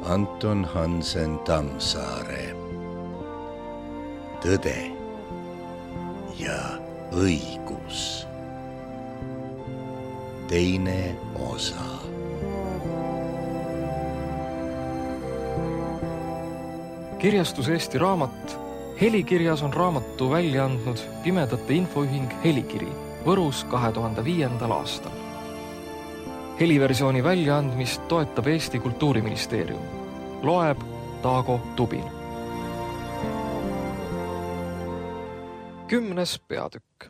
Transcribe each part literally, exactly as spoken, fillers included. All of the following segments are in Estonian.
Anton Hansen Tammsaare. Tõde ja õigus. Teine osa. Kirjastus Eesti Raamat. Helikirjas on raamatu välja andnud Pimedate Infoühing Helikiri Võrus kahe tuhande viiendal aastal. Heliversiooni väljaandmist toetab Eesti Kultuuriministeerium. Loeb Taago Tubin. Kümnes peatükk.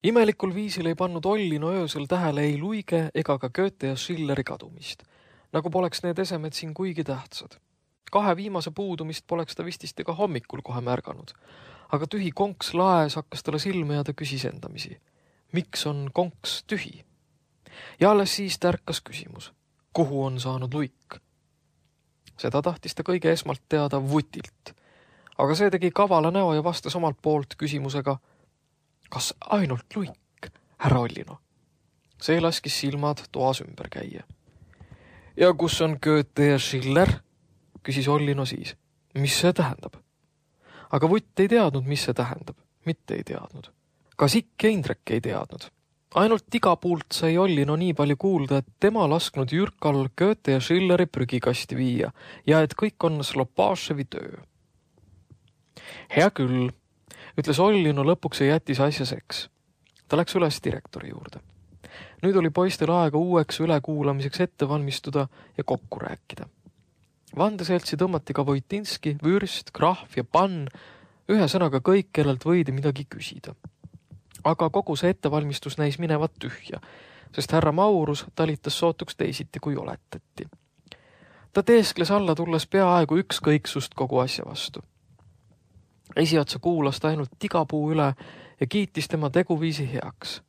Imelikul viisil ei pannud Ollino öösel tähele ei Luige ega ka Goethe ja Schilleri kadumist, nagu poleks need esemed siin kuigi tähtsad. Kahe viimase puudumist poleks ta vististi ka hommikul kohe märganud, aga tühi konks laes hakkas talle silme ja ta küsis endamisi. Miks on konks tühi? Ja alles siis tärkas küsimus, kuhu on saanud Luik? Seda tahtis ta kõige esmalt teada Vutilt, aga see tegi kavala näo ja vastas omalt poolt küsimusega, kas ainult Luik, härra Ollino? See laskis silmad toas ümber käia. Ja kus on Goethe ja Schiller? Küsis Ollino siis. Mis see tähendab? Aga Vutt ei teadnud, mis see tähendab. Mitte ei teadnud. Ka Sikk ja Indrek ei teadnud. Ainult igapuult sai Ollino nii palju kuulda, et tema lasknud Jürkal Goethe ja Schilleri prügikasti viia ja et kõik on Slopashevi töö. Hea küll, ütles Ollino lõpuks ja jättis asja seks. Ta läks üles direktori juurde. Nüüd oli poistel aega uueks ülekuulamiseks ette valmistuda ja kokku rääkida. Vandeseltsi tõmmati ka Voitinski, Vürst, Krahv ja Pann, ühe sõnaga kõik, kellelt võidi midagi küsida. Aga kogu see ettevalmistus näis minevat tühja, sest härra Maurus talitas sootuks teisiti, kui oletati. Ta teeskles alla tulles peaaegu ükskõiksust kogu asja vastu. Esiotsa kuulas ta ainult Tigapuu üle ja kiitis tema teguviisi heaks.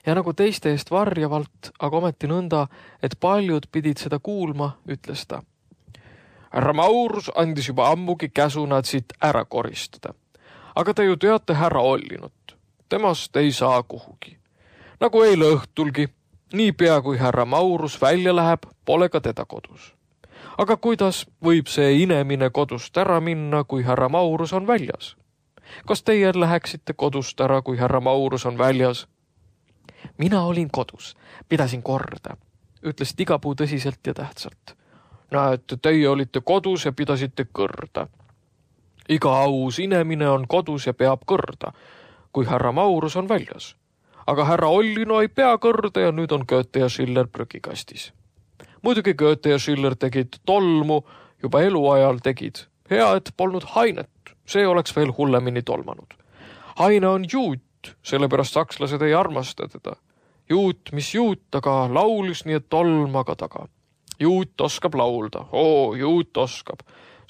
Ja nagu teiste eest varjavalt, aga ometi nõnda, et paljud pidid seda kuulma, ütles ta. Härra Maurus andis juba ammugi käsu nad siit ära koristada. Aga te ju teate härra Ollinut. Temast ei saa kuhugi. Nagu eile õhtulgi, nii pea kui härra Maurus välja läheb, pole ka teda kodus. Aga kuidas võib see inemine kodust ära minna, kui härra Maurus on väljas? Kas teie läheksite kodust ära, kui härra Maurus on väljas? Mina olin kodus, pidasin korda, ütles Tigapuu tõsiselt ja tähtsalt. Näete, teie olite kodus ja pidasite kõrda. Iga aus inemine on kodus ja peab kõrda, kui härra Maurus on väljas. Aga härra Ollino ei pea kõrda ja nüüd on Goethe ja Schiller prügikastis. Muidugi Goethe ja Schiller tegid tolmu, juba eluajal tegid. Hea, et polnud Hainet, see oleks veel hullemini tolmanud. Haine on juut, sellepärast sakslased ei armasta teda. Juut, mis juut, aga laulis nii, et tolmaga taga. Juut oskab laulda, oo, juut oskab,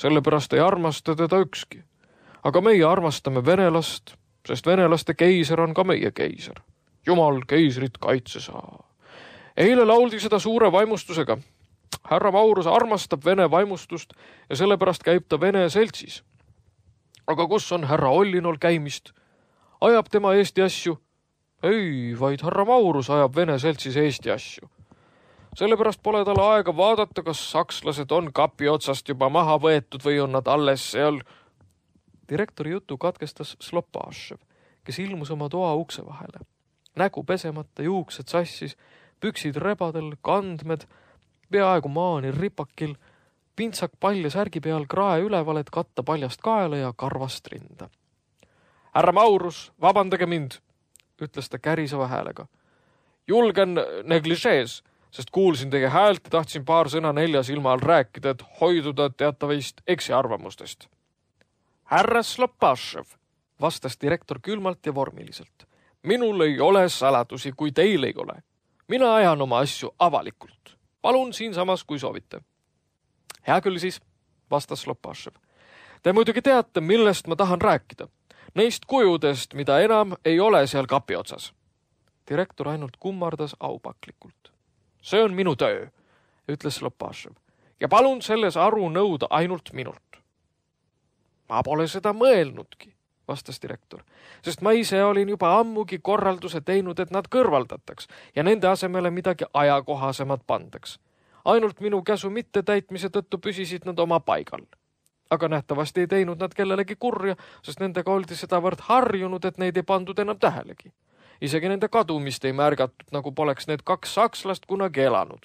sellepärast ei armasta teda ükski. Aga meie armastame venelast, sest venelaste keiser on ka meie keiser. Jumal keisrit kaitse saa. Eile lauldi seda suure vaimustusega. Härra Maurus armastab vene vaimustust ja sellepärast käib ta vene seltsis. Aga kus on härra Ollinol käimist? Ajab tema Eesti asju? Ei, vaid härra Maurus ajab vene seltsis Eesti asju. Sellepärast pole tal aega vaadata, kas sakslased on kapi otsast juba maha võetud või on nad alles seal. Direktori jutu katkestas Slopashev, kes ilmus oma toa ukse vahele. Nägu pesemata, juuksed sassis, püksid rebadel, kandmed, peaaegu maani ripakil, pintsak palja särgi peal krae üleval, et katta paljast kaela ja karvast rinda. Härra Maurus, vabandage mind, ütles ta käriseva häälega. Julgen negližees, sest kuulsin teie häält ja tahtsin paar sõna nelja silma all rääkida, et hoiduda teatavist eksiarvamustest. Härra Slopashev, vastas direktor külmalt ja vormiliselt. Minul ei ole saladusi, kui teil ei ole. Mina ajan oma asju avalikult. Palun siinsamas, kui soovite. Hea küll siis, vastas Slopashev. Te muidugi teate, millest ma tahan rääkida. Neist kujudest, mida enam ei ole seal kapi otsas. Direktor ainult kummardas aupaklikult. See on minu töö, ütles Slopashev, ja palun selles aru nõuda ainult minult. Ma pole seda mõelnudki, vastas direktor, sest ma ise olin juba ammugi korralduse teinud, et nad kõrvaldataks ja nende asemele midagi ajakohasemat pandaks. ainult minu käsu mittetäitmise tõttu püsisid nad oma paigal. Aga nähtavasti ei teinud nad kellelegi kurja, sest nendega oldi sedavõrd harjunud, et neid ei pandud enam tähelegi. Isegi nende kadumist ei märgatud, nagu poleks need kaks sakslast kunagi elanud.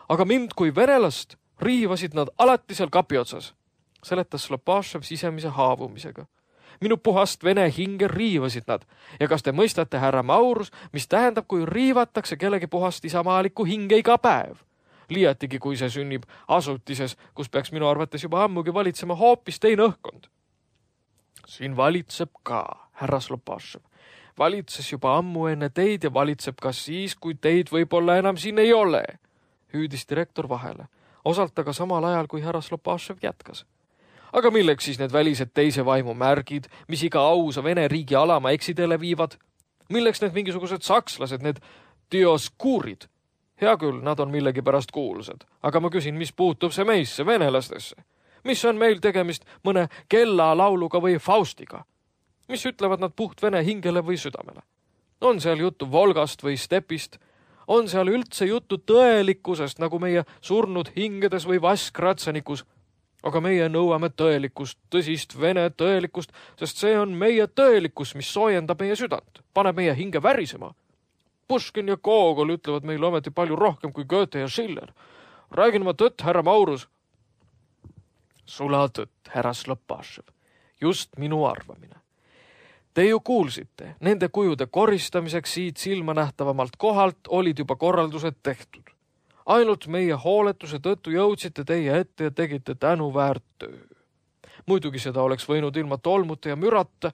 Aga mind kui venelast riivasid nad alati seal kapi otsas, seletas Slopašev sisemise haavumisega. Minu puhast vene hinge riivasid nad ja kas te mõistate, härra Maurus, mis tähendab, kui riivatakse kellegi puhast isamaalikku hinge iga päev? Liiatigi, kui see sünnib asutises, kus peaks minu arvates juba ammugi valitsema hoopis teine õhkkond. Siin valitseb ka, härra Slopašev. Valitses juba ammu enne teid ja valitseb ka siis, kui teid võib-olla enam siin ei ole, hüüdis direktor vahele, osalt aga samal ajal, kui härra Slopašev jätkas. Aga milleks siis need välised teise vaimu märgid, mis iga ausa Vene riigi alama eksidele viivad? Milleks need mingisugused sakslased, need dioskuurid? Hea küll, nad on millegi pärast kuulsad, aga ma küsin, mis puutub see meisse, venelastesse? Mis on meil tegemist mõne kella lauluga või Faustiga? Mis ütlevad nad puht vene hingele või südamele? On seal juttu Volgast või Stepist? On seal üldse juttu tõelikkusest, nagu meie surnud hingedes või Vaskratsanikus? Aga meie nõuame tõelikust, tõsist vene tõelikust, sest see on meie tõelikkus, mis soojendab meie südant, paneb meie hinge värisema. Puškin ja Gogol ütlevad meile ometi palju rohkem kui Goethe ja Schiller. Räägin ma tõtt, härra Maurus. Sula tõtt, härra Slopašev. Just minu arvamine. Te ju kuulsite, nende kujude koristamiseks siit silmanähtavamalt kohalt olid juba korraldused tehtud. Ainult meie hooletuse tõttu jõudsite teie ette ja tegite tänuväärt töö. Muidugi seda oleks võinud ilma tolmuta ja mürata.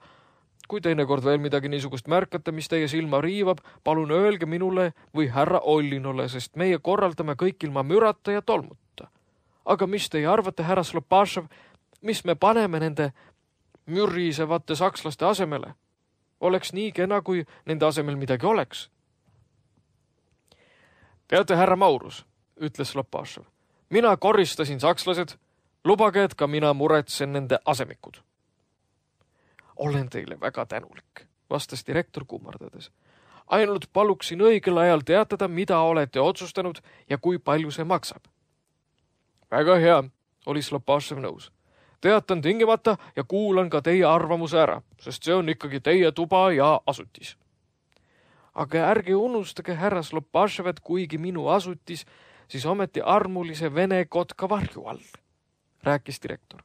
Kui teinekord veel midagi niisugust märkate, mis teie silma riivab, palun öelge minule või härra Ollinole, sest meie korraldame kõik ilma mürata ja tolmuta. Aga mis teie arvate, härra Slopašev, mis me paneme nende mürisevate sakslaste asemele? Oleks nii kena, kui nende asemel midagi oleks. Teate, härra Maurus, ütles Slopašev, mina koristasin sakslased, lubage, et ka mina muretsen nende asemikud. Olen teile väga tänulik, vastas direktor kummardades. Ainult paluksin õigel ajal teatada, mida olete otsustanud ja kui palju see maksab. Väga hea, oli Slopašev nõus. Teatan tingimata ja kuulan ka teie arvamuse ära, sest see on ikkagi teie tuba ja asutis. Aga ärge unustage, härra Slopašev, et kuigi minu asutis, siis ometi armulise vene kotka varju all, rääkis direktor.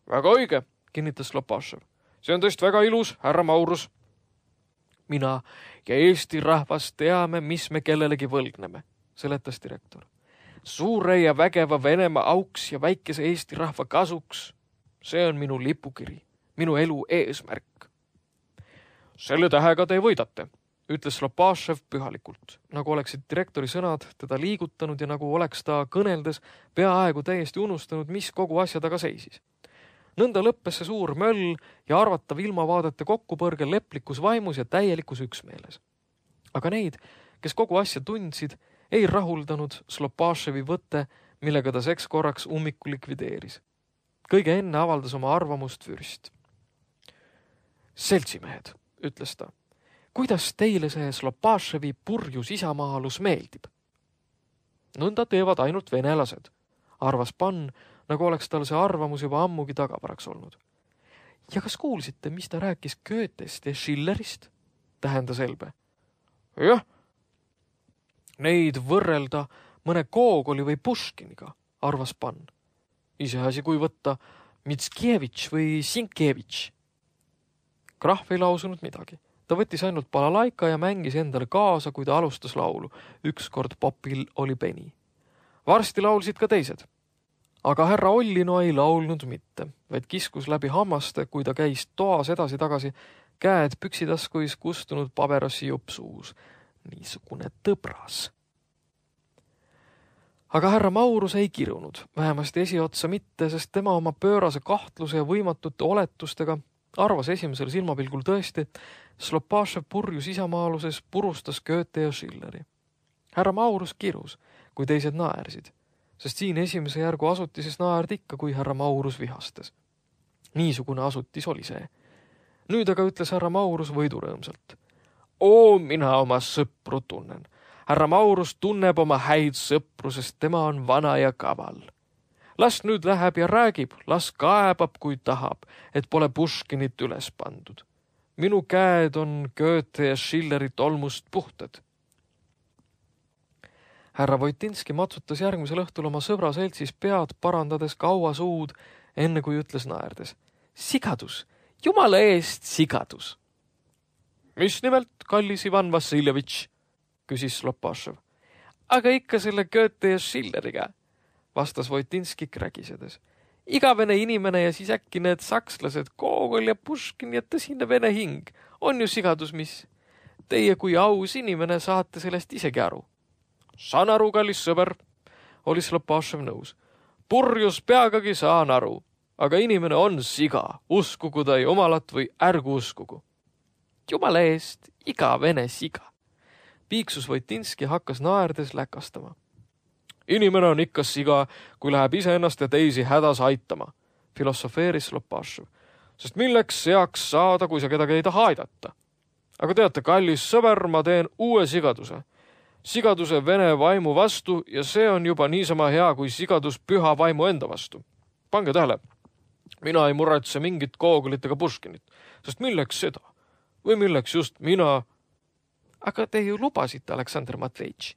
Väga õige, kinnitas Slopašev. See on tõesti väga ilus, härra Maurus. Mina ja Eesti rahvas teame, mis me kellelegi võlgneme, seletas direktor. Suure ja vägeva Venemaa auks ja väikese Eesti rahva kasuks. See on minu lipukiri, minu elu eesmärk. Selle tähega te võidate, ütles Slopašev pühalikult, nagu oleksid direktori sõnad teda liigutanud ja nagu oleks ta kõneldes peaaegu täiesti unustanud, mis kogu asja taga seisis. Nõnda lõppes see suur möll ja arvatav ilmavaadete kokkupõrge leplikus vaimus ja täielikus üksmeeles. Aga neid, kes kogu asja tundsid, ei rahuldanud Slopaševi võtte, millega ta seks korraks ummiku likvideeris. Kõige enne avaldas oma arvamust vürst. Seltsimehed, ütles ta, kuidas teile see Slopaševi purjus isamaalus meeldib? Nõnda teevad ainult venelased, arvas Pann, nagu oleks tal see arvamus juba ammugi tagavaraks olnud. Ja kas kuulsite, mis ta rääkis Goethest ja Schillerist? Tähendas Elbe. Jah, neid võrrelda mõne Gogoli või Puškiniga, arvas Pann. Iseasi, kui võtta Mitskevitš või Sinkevitš. Krahv ei lausunud midagi. Ta võttis ainult balalaika ja mängis endale kaasa, kui ta alustas laulu. Ükskord popil oli peni. Varsti laulsid ka teised. Aga härra Ollino ei laulnud mitte, vaid kiskus läbi hammaste, kui ta käis toas edasi-tagasi, käed püksitaskuis kustunud paberossi jupp suus. Niisugune tõbras. Aga härra Maurus ei kirunud, vähemasti esiotsa mitte, sest tema oma pöörase kahtluse ja võimatute oletustega arvas esimesel silmapilgul tõesti, Slopašev purjus isamaaluses purustas Goethe ja Schilleri. Härra Maurus kirus, kui teised naersid, sest siin esimese järgu asutises naerdi ikka, kui härra Maurus vihastas. Niisugune asutis oli see. Nüüd aga ütles härra Maurus võidurõõmsalt. Oo, mina oma sõpru tunnen. härra Maurus tunneb oma häid sõpru, sest tema on vana ja kaval. Las nüüd läheb ja räägib, las kaebab, kui tahab, et pole Puškinit üles pandud. Minu käed on Goethe ja Schilleri tolmust puhtad. Härra Voitinski matsutas järgmisel õhtul oma sõbra seltsis pead, parandades kaua suud, enne kui ütles naerdes. Sigadus, jumala eest sigadus. Mis nimelt, kallis Ivan Vassiljevitš, küsis Slopašev. Aga ikka selle Goethe ja Schilleriga, vastas Voitinski krägisedes. Igavene inimene ja siis äkki need sakslased, Gogol ja Puškin ja tõsine vene hing. On ju sigadus, mis? Teie kui aus inimene saate sellest isegi aru. Saan aru, kallis sõber, oli Slopašev nõus. Purjus peagagi saan aru, aga inimene on siga, uskugu ta ei omalat või ärgu uskugu. Jumala eest, iga vene siga. Piiksus Voitinski hakkas naerdes läkastama. Inimene on ikka siga, kui läheb iseennast ja teisi hädas aitama, filosofeeris Slopašev. Sest milleks seaks saada, kui sa kedagi ei taha aidata? Aga teate, kallis sõber, ma teen uue sigaduse. Sigaduse vene vaimu vastu ja see on juba niisama hea kui sigadus püha vaimu enda vastu. Pange tähele, mina ei muretse mingit Gogolit ega Puškinit, sest milleks seda? Või milleks just mina? Aga te ju lubasite, Aleksandr Matvejtš,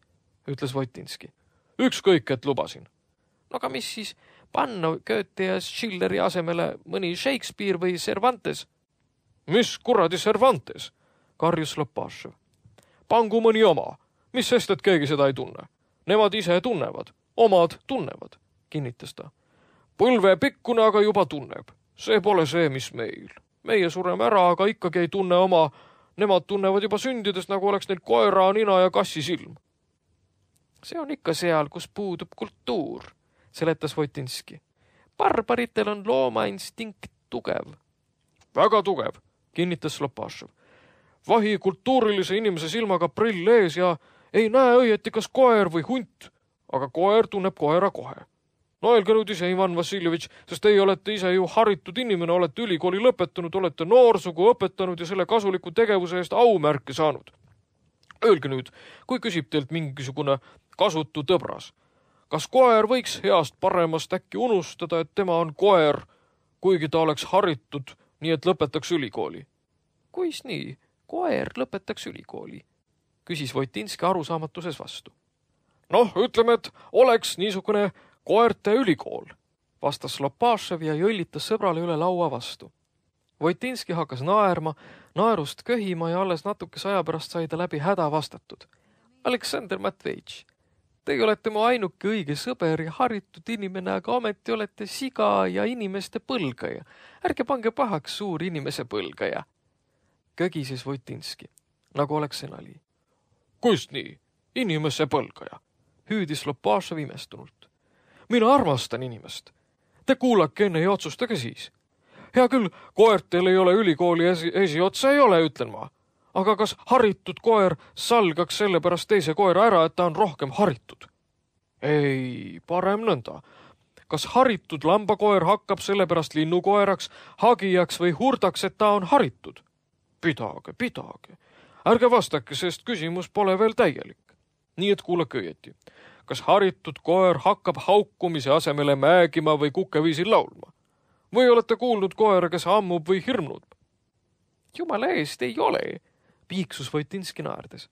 ütles Voitinski. Ükskõik, et lubasin. No aga mis siis panna Goethe ja Schilleri asemele mõni Shakespeare või Cervantes? Mis kuradi Cervantes? Karjus Slopašev. Pangu mõni oma. Mis sest, et keegi seda ei tunne? Nemad ise tunnevad. Omad tunnevad, kinnitas ta. Põlve pikkune aga juba tunneb. See pole see, mis meil. Meie sureme ära, aga ikkagi ei tunne oma. Nemad tunnevad juba sündides, nagu oleks neil koera, nina ja kassi silm. See on ikka seal, kus puudub kultuur, seletas Voitinski. Barbaritel on loomainstinkt tugev. Väga tugev, kinnitas Slopašev. Vahi kultuurilise inimese silmaga prill ees ja ei näe õieti kas koer või hunt, aga koer tunneb koera kohe. No öelge nüüd ise, Ivan Vassiljevitš, sest teie olete ise ju haritud inimene, olete ülikooli lõpetanud, olete noorsugu õpetanud ja selle kasuliku tegevuse eest aumärke saanud. Öelge nüüd, kui küsib teilt mingisugune kasutu tõbras, kas koer võiks heast paremast äkki unustada, et tema on koer, kuigi ta oleks haritud, nii et lõpetaks ülikooli? Kuis nii? Koer lõpetaks ülikooli, küsis Voitinski arusaamatuses vastu. Noh, ütleme, et oleks niisugune koerte ülikool, vastas Slopašev ja jõllitas sõbrale üle laua vastu. Voitinski hakkas naerma, naerust köhima ja alles natukese aja pärast sai ta läbi häda vastatud. Aleksandr Matvejtš, teie olete mu ainuke õige sõber ja haritud inimene, aga ometi olete siga ja inimeste põlgaja. Ärge pange pahaks suur inimese põlgaja. Kögises Voitinski, nagu oleks senali. Kust nii? Inimese põlgaja, hüüdis Slopašev imestunult. Mina armastan inimest. Te kuulake enne ja otsustage siis. Hea küll, koertel ei ole ülikooli esi, esiotsa ei ole, ütlen ma. Aga kas haritud koer salgaks selle pärast teise koera ära, et ta on rohkem haritud? Ei, parem nõnda. Kas haritud lambakoer hakkab selle pärast linnukoeraks, hagijaks või hurdaks, et ta on haritud? Pidage, pidage. Ärge vastake, sest küsimus pole veel täielik. Nii et kuulake õieti. Kas haritud koer hakkab haukumise asemele määgima või kukeviisil laulma? Või olete kuulnud koera, kes ammub või hirmnud? Jumala eest ei ole, piiksus Voitinski naerdes.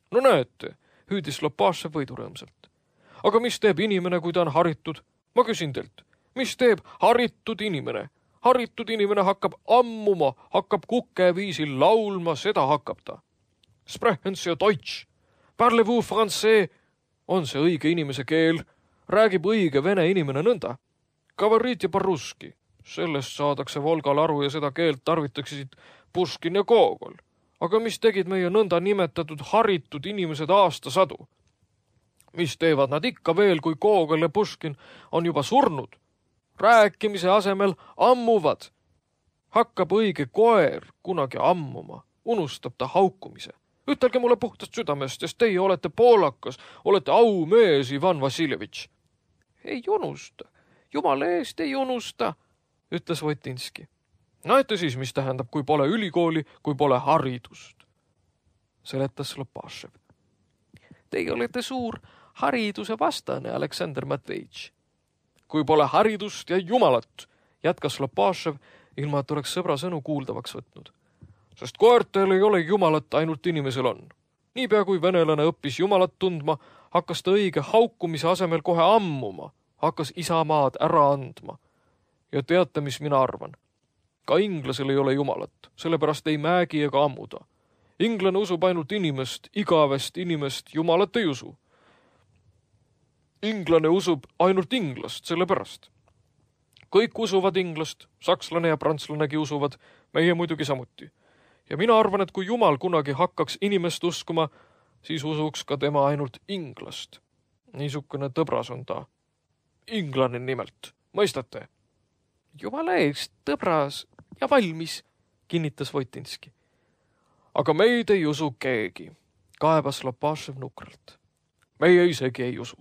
No näete, hüüdis Slopašev võidurõõmsalt. Aga mis teeb inimene, kui ta on haritud? Ma küsin teilt, mis teeb haritud inimene? Haritud inimene hakkab ammuma, hakkab kukeviisil laulma, seda hakkab ta. Sprechen Sie Deutsch, parlez-vous français, on see õige inimese keel, räägib õige vene inimene nõnda. Kavarit ja parruski, sellest saadakse Volgal aru ja seda keelt tarvitaksid Puškin ja Gogol. Aga mis tegid meie nõnda nimetatud haritud inimesed aastasadu? Mis teevad nad ikka veel, kui Gogol ja Puškin on juba surnud? Rääkimise asemel ammuvad. Hakkab õige koer kunagi ammuma, unustab ta haukumise. Ütelge mulle puhtast südamest, sest teie olete poolakas, olete aumees, Ivan Vassiljevitš. Ei unusta, jumala eest ei unusta, ütles Voitinski. Näete siis, mis tähendab, kui pole ülikooli, kui pole haridust, seletas Slopašev. Teie olete suur hariduse vastane, Aleksandr Matvejitš. Kui pole haridust ja jumalat, jätkas Lopašev, ilma et oleks sõbra sõnu kuuldavaks võtnud. Sest koertel ei ole jumalat, ainult inimesel on. Niipea kui venelane õppis jumalat tundma, hakkas ta õige haukumise asemel kohe ammuma, hakkas isamaad ära andma. Ja teate, mis mina arvan? Ka inglasel ei ole jumalat, sellepärast ei määgi ega ammuda. Inglane usub ainult inimest, igavest inimest, jumalat ei usu. Inglane usub ainult inglast, sellepärast. Kõik usuvad inglast, sakslane ja prantslanegi usuvad, meie muidugi samuti. Ja mina arvan, et kui jumal kunagi hakkaks inimest uskuma, siis usuks ka tema ainult inglast. Niisugune tõbras on ta. Inglane nimelt, mõistate? Jumala eest, tõbras ja valmis, kinnitas Voitinski. Aga meid ei usu keegi, kaebas Lopašev nukralt. Meie isegi ei usu.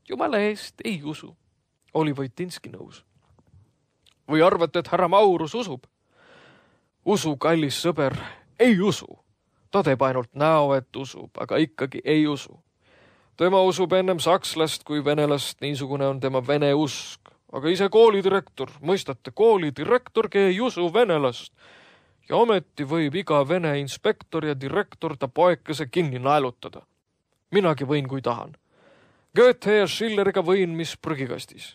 Jumala eest ei usu, oli Voitinski nõus. Või arvate, et härra Maurus usub? Usu, kallis sõber, ei usu. Ta teeb ainult näo, et usub, aga ikkagi ei usu. Tema usub ennem sakslast kui venelast, niisugune on tema vene usk. Aga ise koolidirektor, mõistate, koolidirektorgi ei usu venelast. Ja ometi võib iga vene inspektor ja direktor ta poekese kinni naelutada. Minagi võin, kui tahan. Goethe ja Schilleriga võin, mis prügikastis.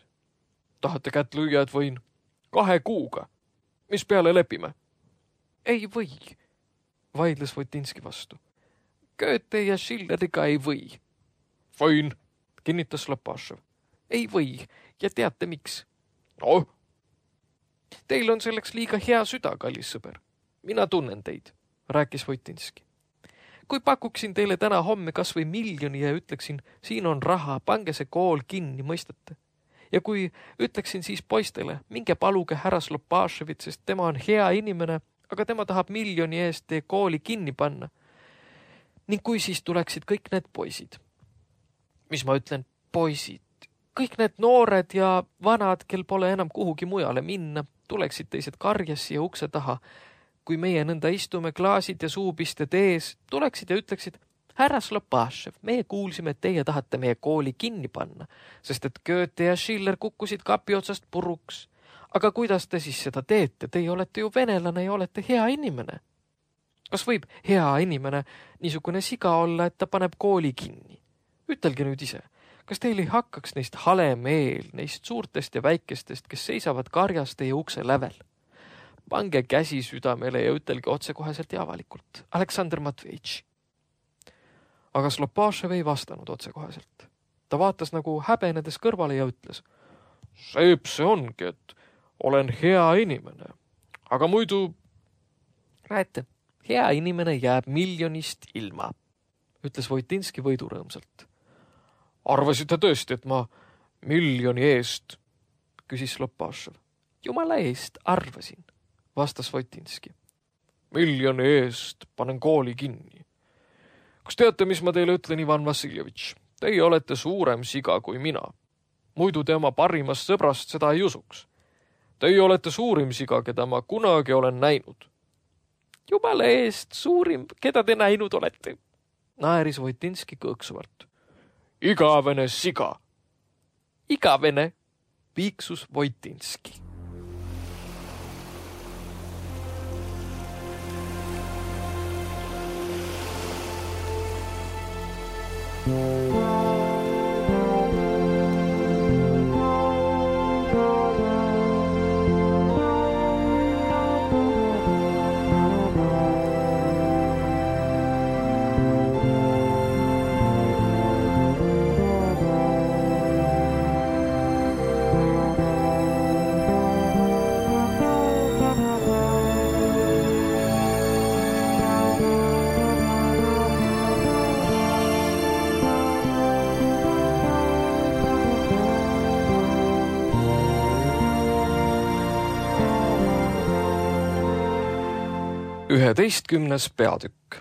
Tahate kätt lüüa, et võin? Kahe kuuga. Mis peale lepime? Ei või, vaidles Voitinski vastu. Goethe ja Schilleriga ei või. Võin, kinnitas Lopašev. Ei või, ja teate miks? No? Teil on selleks liiga hea süda, kallis sõber. Mina tunnen teid, rääkis Voitinski. Kui pakuksin teile täna homme kas või miljoni ja ütleksin, siin on raha, pange see kool kinni, mõistate? Ja kui ütleksin siis poistele, minge paluge härra Lopaševit, sest tema on hea inimene, aga tema tahab miljoni eest teie kooli kinni panna. Ning kui siis tuleksid kõik need poisid? Mis ma ütlen, poisid? Kõik need noored ja vanad, kel pole enam kuhugi mujale minna, tuleksid teised karjas ja ukse taha. Kui meie nõnda istume klaasid ja suupisted ees, tuleksid ja ütleksid, härra Lopašev, meie kuulsime, et teie tahate meie kooli kinni panna, sest et Goethe ja Schiller kukkusid kapi otsast puruks. Aga kuidas te siis seda teete? Teie olete ju venelane ja olete hea inimene. Kas võib hea inimene niisugune siga olla, et ta paneb kooli kinni? Ütelge nüüd ise, kas teil ei hakkaks neist hale meel, neist suurtest ja väikestest, kes seisavad karjas teie ukse lävel? Pange käsi südamele ja ütelge otsekoheselt ja avalikult. Aleksandr Matvejitš. Aga Lopašev ei vastanud otsekoheselt. Ta vaatas nagu häbenedes kõrvale ja ütles, seep see ongi, et olen hea inimene. Aga muidu... Näete, hea inimene jääb miljonist ilma, ütles Voitinski võidurõõmsalt. Arvasite tõesti, et ma miljoni eest, küsis Lopašev. Jumala eest arvasin, vastas Voitinski. Miljoni eest panen kooli kinni. Kas teate, mis ma teile ütlen, Ivan Vassiljevitš? Teie olete suurem siga kui mina. Muidu te oma parimast sõbrast seda ei usuks. Teie olete suurim siga, keda ma kunagi olen näinud. Jumala eest suurim, keda te näinud olete, naeris Voitinski kõõksuvalt. Igavene siga. Igavene, piiksus Voitinski. üheteistkümnes peatükk.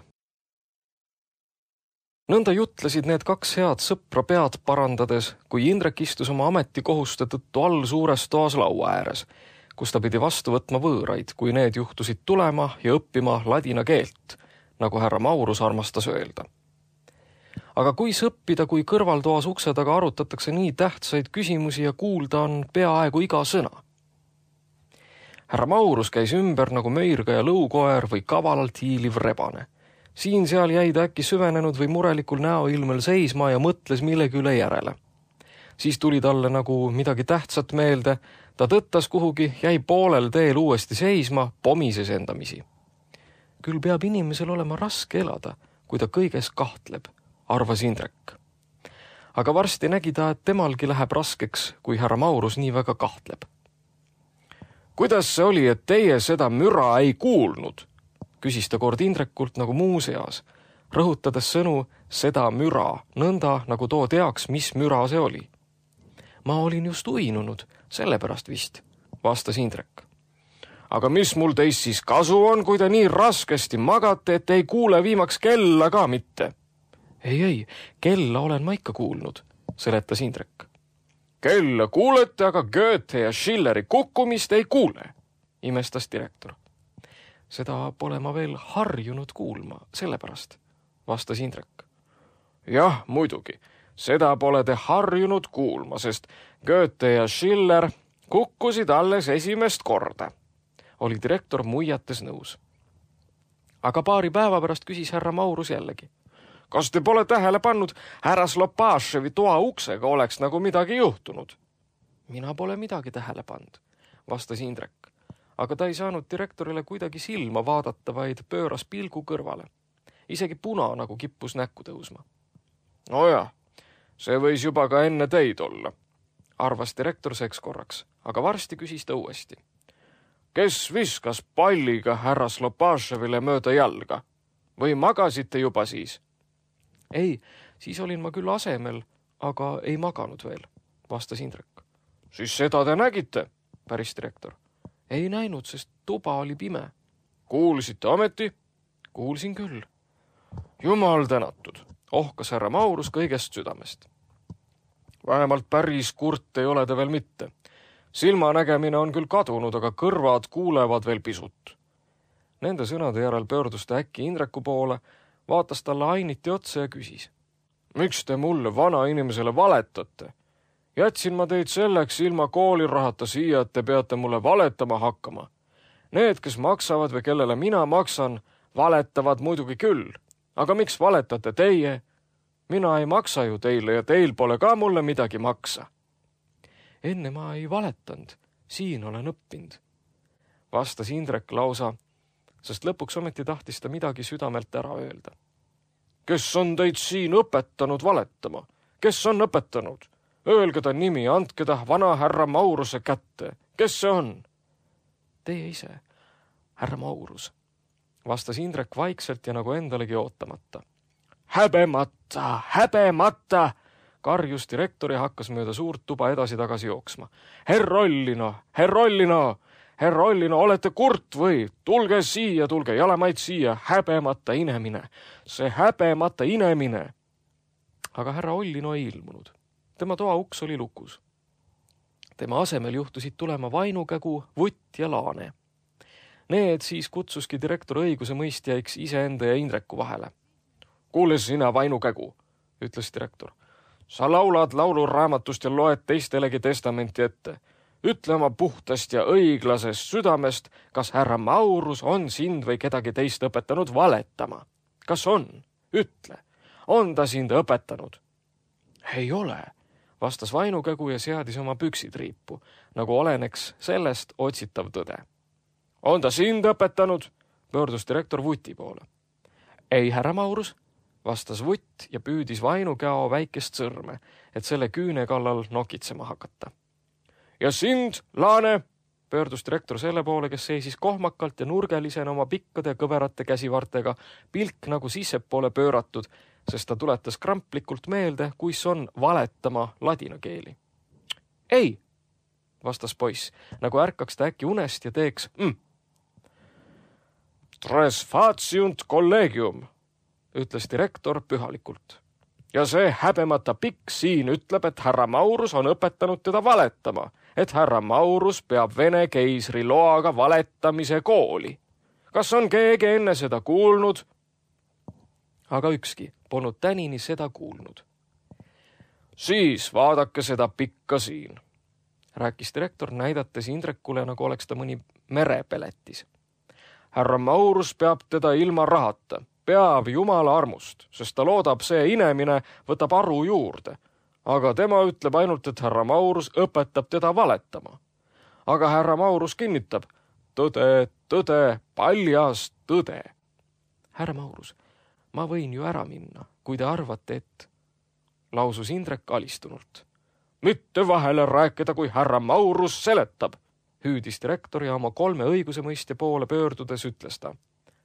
Nõnda jutlesid need kaks head sõpra pead parandades, kui Indrek istus oma ametikohuste tõttu all suures toas laua ääres, kus ta pidi vastu võtma võõraid, kui need juhtusid tulema ja õppima ladina keelt, nagu härra Maurus armastas öelda. aga kuis õppida, kui kõrvaltoas ukse taga arutatakse nii tähtsaid küsimusi ja kuulda on peaaegu iga sõna? Härra Maurus käis ümber nagu möirga ja lõukoer või kavalalt hiiliv rebane. Siin seal jäi ta äkki süvenenud või murelikul näoilmel seisma ja mõtles millegi üle järele. Siis tuli talle nagu midagi tähtsat meelde, ta tõttas kuhugi, jäi poolel teel uuesti seisma, pomises endamisi. Küll peab inimesel olema raske elada, kui ta kõiges kahtleb, arvas Indrek. Aga varsti nägi ta, et temalgi läheb raskeks, kui härra Maurus nii väga kahtleb. Kuidas see oli, et teie seda müra ei kuulnud? Küsis ta kord Indrekult nagu muu seas, rõhutades sõnu seda müra, nõnda nagu too teaks, mis müra see oli. Ma olin just uinunud, sellepärast vist, vastas Indrek. Aga mis mul teist siis kasu on, kui te nii raskesti magate, et ei kuule viimaks kella ka mitte? Ei, ei, kella olen ma ikka kuulnud, seletas Indrek. Kella kuulete, aga Goethe ja Schilleri kukkumist ei kuule, imestas direktor. Seda pole ma veel harjunud kuulma, sellepärast, vastas Indrek. Jah, muidugi, seda pole te harjunud kuulma, sest Goethe ja Schiller kukkusid alles esimest korda, oli direktor muiates nõus. Aga paari päeva pärast küsis härra Maurus jällegi. Kas te pole tähele pannud, härra Slopaševi toa uksega oleks nagu midagi juhtunud? Mina pole midagi tähele pannud, vastas Indrek. Aga ta ei saanud direktorile kuidagi silma vaadata, vaid pööras pilgu kõrvale. Isegi puna nagu kippus näkku tõusma. No jah, see võis juba ka enne teid olla, arvas direktor seks korraks, aga varsti küsis ta uuesti. Kes viskas palliga härra Slopaševile mööda jalga? Või magasite juba siis? Ei, siis olin ma küll asemel, aga ei maganud veel, vastas Indrek. Siis seda te nägite, päris direktor. Ei näinud, sest tuba oli pime. Kuulsite ometi? Kuulsin küll. Jumal tänatud, ohkas härra Maurus kõigest südamest. Vähemalt päris kurt ei ole te veel mitte. Silmanägemine on küll kadunud, aga kõrvad kuulevad veel pisut. Nende sõnade järel pöördus ta äkki Indreku poole, vaatas talle ainiti otsa ja küsis. Miks te mulle vana inimesele valetate? Jätsin ma teid selleks ilma koolirahata siia, et te peate mulle valetama hakkama. Need, kes maksavad või kellele mina maksan, valetavad muidugi küll. Aga miks valetate teie? Mina ei maksa ju teile ja teil pole ka mulle midagi maksa. Enne ma ei valetanud, siin olen õppinud, vastas Indrek lausa, sest lõpuks ometi tahtis ta midagi südamelt ära öelda. Kes on teid siin õpetanud valetama? Kes on õpetanud? Öelge ta nimi, andke ta vana härra Mauruse kätte. Kes see on? Teie ise, härra Maurus, vastas Indrek vaikselt ja nagu endalegi ootamata. Häbemata, häbemata! Karjus direktor ja hakkas mööda suurt tuba edasi-tagasi jooksma. Herrollino, herrollino, herrollino, olete kurt või? Tulge siia, tulge jalamaid siia, häbemata inemine, see häbemata inemine. Aga härra Ollino ei ilmunud. Tema toa uks oli lukus. Tema asemel juhtusid tulema Vainukägu, Vutt ja Laane. Need siis kutsuski direktor õiguse mõistjaiks iseenda ja Indreku vahele. Kuule sina, Vainukägu, ütles direktor. Sa laulad lauluraamatust ja loed teistelegi testamenti ette. Ütle oma puhtast ja õiglasest südamest, kas härra Maurus on sind või kedagi teist õpetanud valetama. Kas on? Ütle. On ta sind õpetanud? Ei ole, vastas Vainukägu ja seadis oma püksid riipu, nagu oleneks sellest otsitav tõde. On ta sind õpetanud? Pöördus direktor Vuti poole. Ei, härra Maurus, vastas Vutt ja püüdis Vainukäo väikest sõrme, et selle küüne kallal nokitsema hakata. Ja sind, Laane, pöördus direktor selle poole, kes seisis kohmakalt ja nurgelisena oma pikkade kõverate käsivartega, pilk nagu sissepoole pööratud, sest ta tuletas kramplikult meelde, kuis on valetama ladina keeli. Ei, vastas poiss, nagu ärkaks ta äkki unest ja teeks mm. Tres faciunt collegium, ütles direktor pühalikult. Ja see häbemata pikk siin ütleb, et härra Maurus on õpetanud teda valetama, et härra Maurus peab Vene keisri loaga valetamise kooli. Kas on keegi enne seda kuulnud? aga ükski polnud tänini seda kuulnud. Siis vaadake seda pikka siin, rääkis direktor, näidates Indrekule, nagu oleks ta mõni merepeletis. Härra Maurus peab teda ilma rahata, peab jumala armust, sest ta loodab, see inemine võtab aru juurde. Aga tema ütleb ainult, et härra Maurus õpetab teda valetama. Aga härra Maurus kinnitab, tõde, tõde, paljas tõde. Härra Maurus, ma võin ju ära minna, kui te arvate, et... lausus Indrek alistunult. Mitte vahele rääkida, kui härra Maurus seletab, hüüdis direktor ja oma kolme õigusemõistja poole pöördudes ütles ta.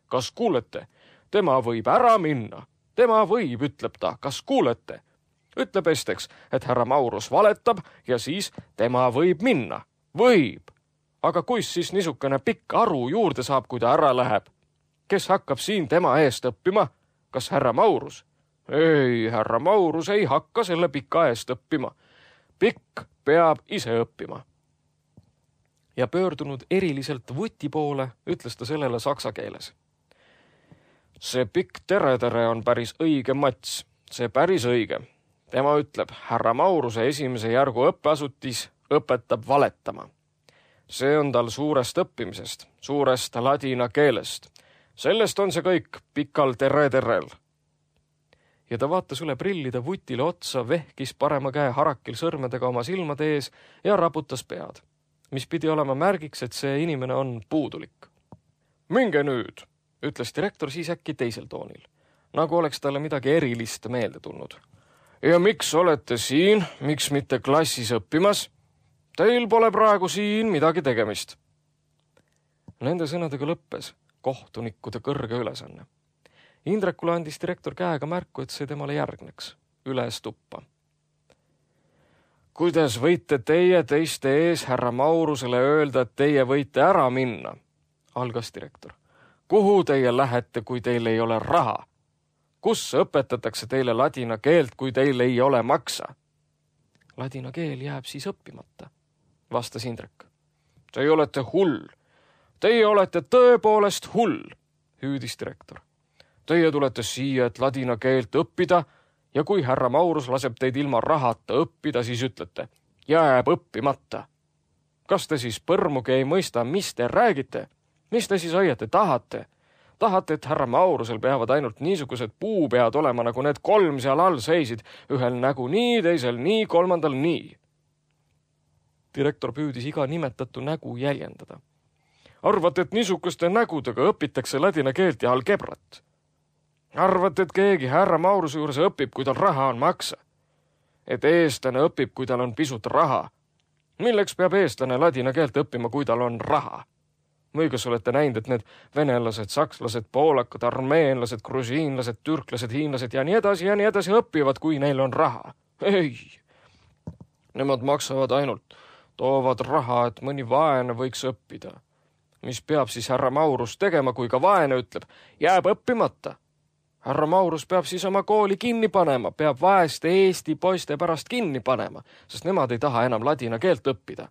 Kas kuulete? Tema võib ära minna. Tema võib, ütleb ta. Kas kuulete? Ütleb esteks, et härra Maurus valetab ja siis tema võib minna. Võib. Aga kuis siis niisugune pikk aru juurde saab, kui ta ära läheb? Kes hakkab siin tema eest õppima? Kas härra Maurus? Ei, härra Maurus ei hakka selle pika eest õppima. Pikk peab ise õppima. Ja pöördunud eriliselt Vuti poole, ütles ta sellele saksa keeles. See pikk tere-tere on päris õige mats. See päris õige. Tema ütleb, härra Mauruse esimese järgu õppeasutis õpetab valetama. See on tal suurest õppimisest, suurest ladina keelest. Sellest on see kõik pikal tere-terel. Ja ta vaatas üle prillide Vutile otsa, vehkis parema käe harakil sõrmedega oma silmade ees ja raputas pead, mis pidi olema märgiks, et see inimene on puudulik. Minge nüüd, ütles direktor siis äkki teisel toonil, nagu oleks talle midagi erilist meelde tulnud. Ja miks olete siin, miks mitte klassis õppimas? Teil pole praegu siin midagi tegemist. Nende sõnadega lõppes kohtunikude kõrge ülesanne. Indrekule andis direktor käega märku, et see temale järgneks, üles tuppa. Kuidas võite teie teiste ees härra Maurusele öelda, et teie võite ära minna? Algas direktor. Kuhu teie lähete, kui teil ei ole raha? Kus õpetatakse teile ladina keelt, kui teil ei ole maksa? Ladina keel jääb siis õppimata, vastas Indrek. Teie olete hull. Teie olete tõepoolest hull, hüüdis direktor. Teie tulete siia, et ladina keelt õppida ja kui härra Maurus laseb teid ilma rahata õppida, siis ütlete, jääb õppimata. Kas te siis põrmugi ei mõista, mis te räägite? Mis te siis õieti tahate? Tahate, et härra Maurusel peavad ainult niisugused puupead olema, nagu need kolm seal all seisid, ühel nägu nii, teisel nii, kolmandal nii. Direktor püüdis iga nimetatu nägu jäljendada. Arvate, et niisuguste nägudega õpitakse ladina keelt ja algebrat? Arvate, et keegi härra Mauruse juures õpib, kui tal raha on maksa? Et eestlane õpib, kui tal on pisut raha? Milleks peab eestlane ladina keelt õppima, kui tal on raha? Või kas olete näinud, et need venelased, sakslased, poolakad, armeenlased, grusiinlased, türklased, hiinlased ja nii edasi ja nii edasi õpivad, kui neil on raha? Ei! Nemad maksavad ainult, toovad raha, et mõni vaene võiks õppida. Mis peab siis härra Maurus tegema, kui ka vaene ütleb, jääb õppimata? Härra Maurus peab siis oma kooli kinni panema, peab vaeste Eesti poiste pärast kinni panema, sest nemad ei taha enam ladina keelt õppida.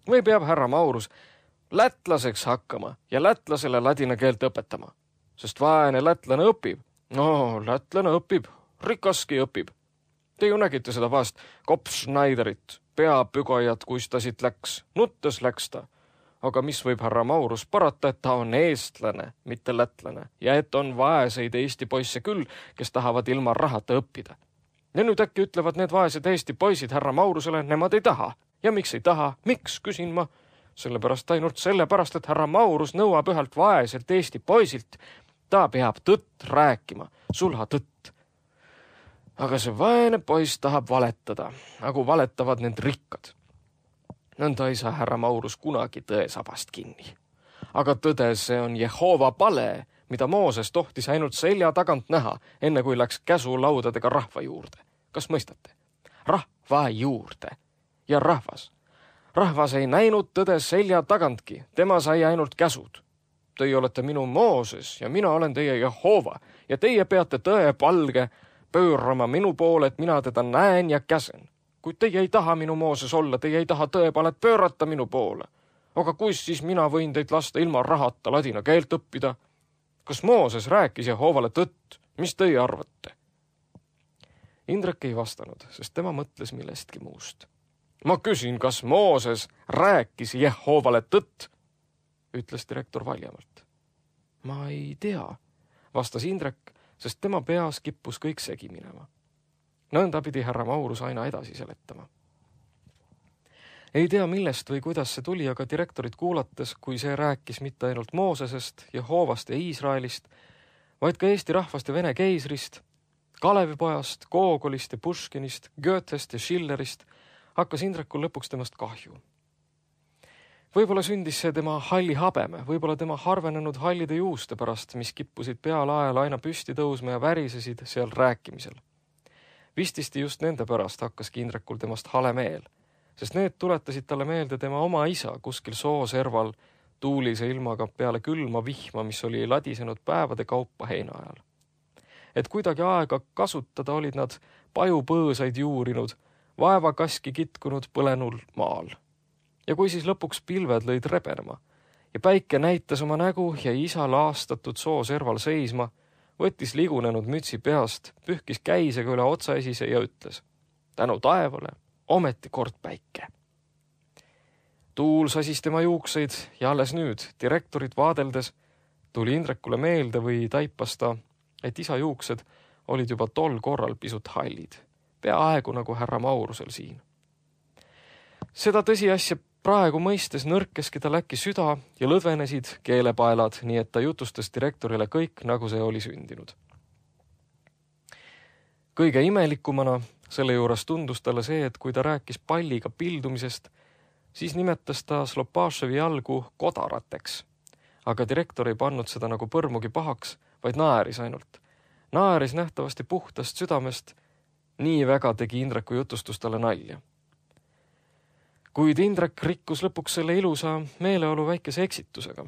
Või peab härra Maurus lätlaseks hakkama ja lätlasele ladina keelt õpetama, sest vaene lätlane õpib. No, lätlane õpib, rikaski õpib. Te ju nägite seda vahest Kopf-Schneiderit, peapügajat, kus ta siit läks, nuttes läks ta. Aga mis võib härra Maurus parata, et ta on eestlane, mitte lätlane, ja et on vaeseid Eesti poisse küll, kes tahavad ilma rahata õppida. Ja nüüd äkki ütlevad need vaesed Eesti poisid härra Maurusele, nemad ei taha. Ja miks ei taha? Miks, küsin ma? Sellepärast ainult sellepärast, et härra Maurus nõuab ühelt vaeselt Eesti poisilt. Ta peab tõtt rääkima, sulha tõtt. Aga see vaene poiss tahab valetada, nagu valetavad need rikkad. Nõnda ei saa härra Maurus kunagi tõesabast kinni. Aga tõde, see on Jehova pale, mida Mooses tohtis ainult selja tagant näha, enne kui läks käsulaudadega rahva juurde. Kas mõistate? Rahva juurde. Ja rahvas. Rahvas ei näinud tõde selja tagantki, tema sai ainult käsud. Teie olete minu Mooses ja mina olen teie Jehova ja teie peate tõe palge pöörama minu poole, et mina teda näen ja käsen. Kuid teie ei taha minu Mooses olla, teie ei taha tõepalet pöörata minu poole. Aga kus siis mina võin teid lasta ilma rahata ladina keelt õppida? kas Mooses rääkis Jehoovale tõtt? Mis teie arvate? Indrek ei vastanud, sest tema mõtles millestki muust. Ma küsin, kas Mooses rääkis Jehoovale tõtt? Ütles direktor valjamalt. Ma ei tea, vastas Indrek, sest tema peas kippus kõik segi minema. Nõnda pidi härra Maurus aina edasi seletama. Ei tea, millest või kuidas see tuli, aga direktorit kuulates, kui see rääkis mitte ainult Moosesest, Jehoovast ja Iisraelist, vaid ka Eesti rahvast ja Vene keisrist, Kalevipojast, Gogolist ja Puškinist, Goethest ja Schillerist, hakkas Indrekul lõpuks temast kahju. Võib-olla sündis see tema halli habeme, võib-olla tema harvenenud hallide juuste pärast, mis kippusid peale ajal aina püsti tõusma ja värisesid seal rääkimisel. Vististi just nende pärast hakkaski Indrekul temast hale meel, sest need tuletasid talle meelde tema oma isa kuskil sooserval tuulise ilmaga peale külma vihma, mis oli ladisenud päevade kaupa heina ajal. Et kuidagi aega kasutada olid nad pajupõõsaid juurinud, vaevakaski kitkunud põlenul maal. Ja kui siis lõpuks pilved lõid rebenema ja päike näitas oma nägu ja isa laastatud sooserval seisma, võttis ligunenud mütsi peast, pühkis käisega üle otsaesise ja ütles: tänu taevale, ometi kord päike. Tuul sasis tema juukseid ja alles nüüd, direktorit vaadeldes, tuli Indrekule meelde või taipas ta, et isa juuksed olid juba tol korral pisut hallid, peaaegu nagu härra Maurusel siin. Seda tõsiasja praegu mõistes nõrkeski tal äkki süda ja lõdvenesid keelepaelad, nii et ta jutustas direktorile kõik, nagu see oli sündinud. Kõige imelikumana selle juures tundus talle see, et kui ta rääkis palliga pildumisest, siis nimetas ta Slopashevi jalgu kodarateks. Aga direktor ei pannud seda nagu põrmugi pahaks, vaid naeris ainult. Naeris nähtavasti puhtast südamest, nii väga tegi Indreku jutustus talle nalja. Kuid Indrek rikkus lõpuks selle ilusa meeleolu väikese eksitusega.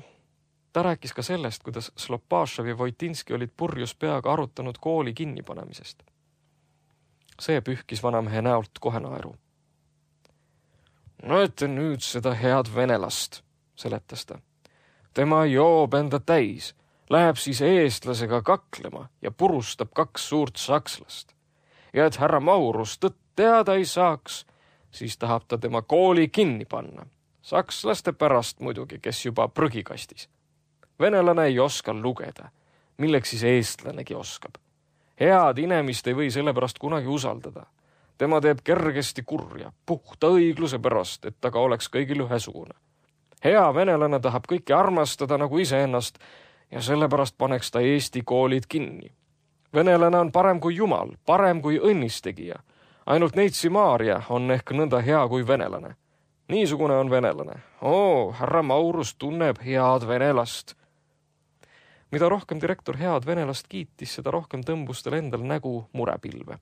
Ta rääkis ka sellest, kuidas Slopashev ja Voitinski olid purjus peaga arutanud kooli kinnipanemisest. See pühkis vanamehe näolt kohe naeru. Näete nüüd seda head venelast, seletas ta. Tema joob enda täis, läheb siis eestlasega kaklema ja purustab kaks suurt sakslast. Ja et härra Maurus tõtt teada ei saaks, siis tahab ta tema kooli kinni panna. Sakslaste pärast muidugi, kes juba prügikastis. Venelane ei oska lugeda, milleks siis eestlanegi oskab. Head inemist ei või sellepärast kunagi usaldada. Tema teeb kergesti kurja, puhta õigluse pärast, et taga oleks kõigil ühesugune. Hea venelane tahab kõiki armastada nagu iseennast ja sellepärast paneks ta Eesti koolid kinni. Venelane on parem kui jumal, parem kui õnnistegija. Ainult Neitsi Maaria on ehk nõnda hea kui venelane. Niisugune on venelane. Oo, härra Maurus tunneb head venelast. Mida rohkem direktor head venelast kiitis, seda rohkem tõmbus tal endal nägu murepilve.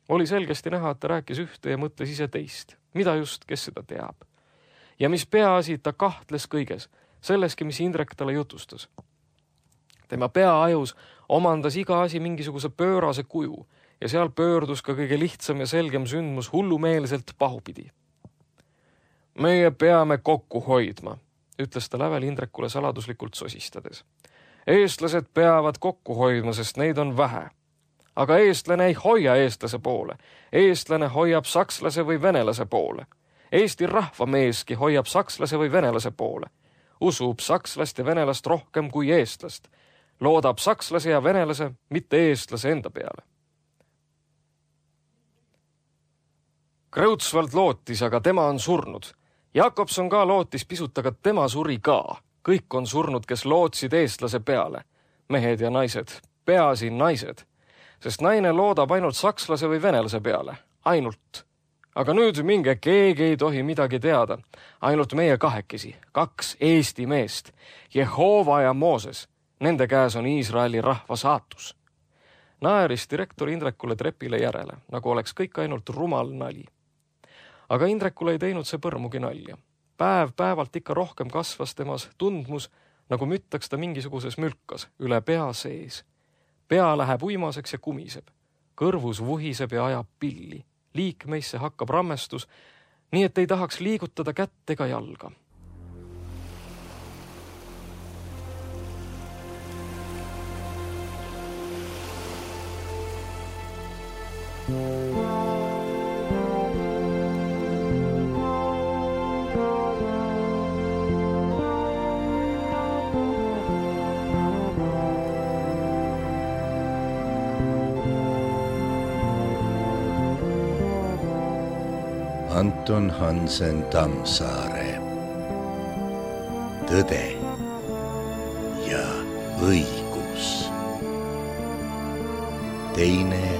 Oli selgesti näha, et ta rääkis ühte ja mõtles ise teist. Mida just, kes seda teab? Ja mis peaasi, ta kahtles kõiges, selleski, mis Indrek talle jutustas. Tema peaajus omandas iga asi mingisuguse pöörase kuju ja seal pöördus ka kõige lihtsam ja selgem sündmus hullumeelselt pahupidi. Meie peame kokku hoidma, ütles ta lävel Indrekule saladuslikult sosistades. Eestlased peavad kokku hoidma, sest neid on vähe. Aga eestlane ei hoia eestlase poole. Eestlane hoiab sakslase või venelase poole. Eesti rahvameeski hoiab sakslase või venelase poole. Usub sakslast ja venelast rohkem kui eestlast. Loodab sakslase ja venelase, mitte eestlase enda peale. Kreutzwald lootis, aga tema on surnud. Jakobson ka lootis pisut, aga tema suri ka. Kõik on surnud, kes lootsid eestlase peale. Mehed ja naised, peaasi naised. Sest naine loodab ainult sakslase või venelase peale. Ainult. Aga nüüd minge keegi ei tohi midagi teada. Ainult meie kahekesi, kaks Eesti meest. Jehova ja Mooses. Nende käes on Iisraeli rahva saatus. Naeris direktor Indrekule trepile järele, nagu oleks kõik ainult rumal nali. Aga Indrekule ei teinud see põrmugi nalja. Päev päevalt ikka rohkem kasvas temas tundmus, nagu müttaks ta mingisuguses mülkas üle pea sees. Pea läheb uimaseks ja kumiseb. Kõrvus vuhiseb ja ajab pilli. Liikmeisse hakkab rammestus, nii et ei tahaks liigutada kätt ega jalga. Anton Hansen Tammsaare. Tõde ja õigus. Teine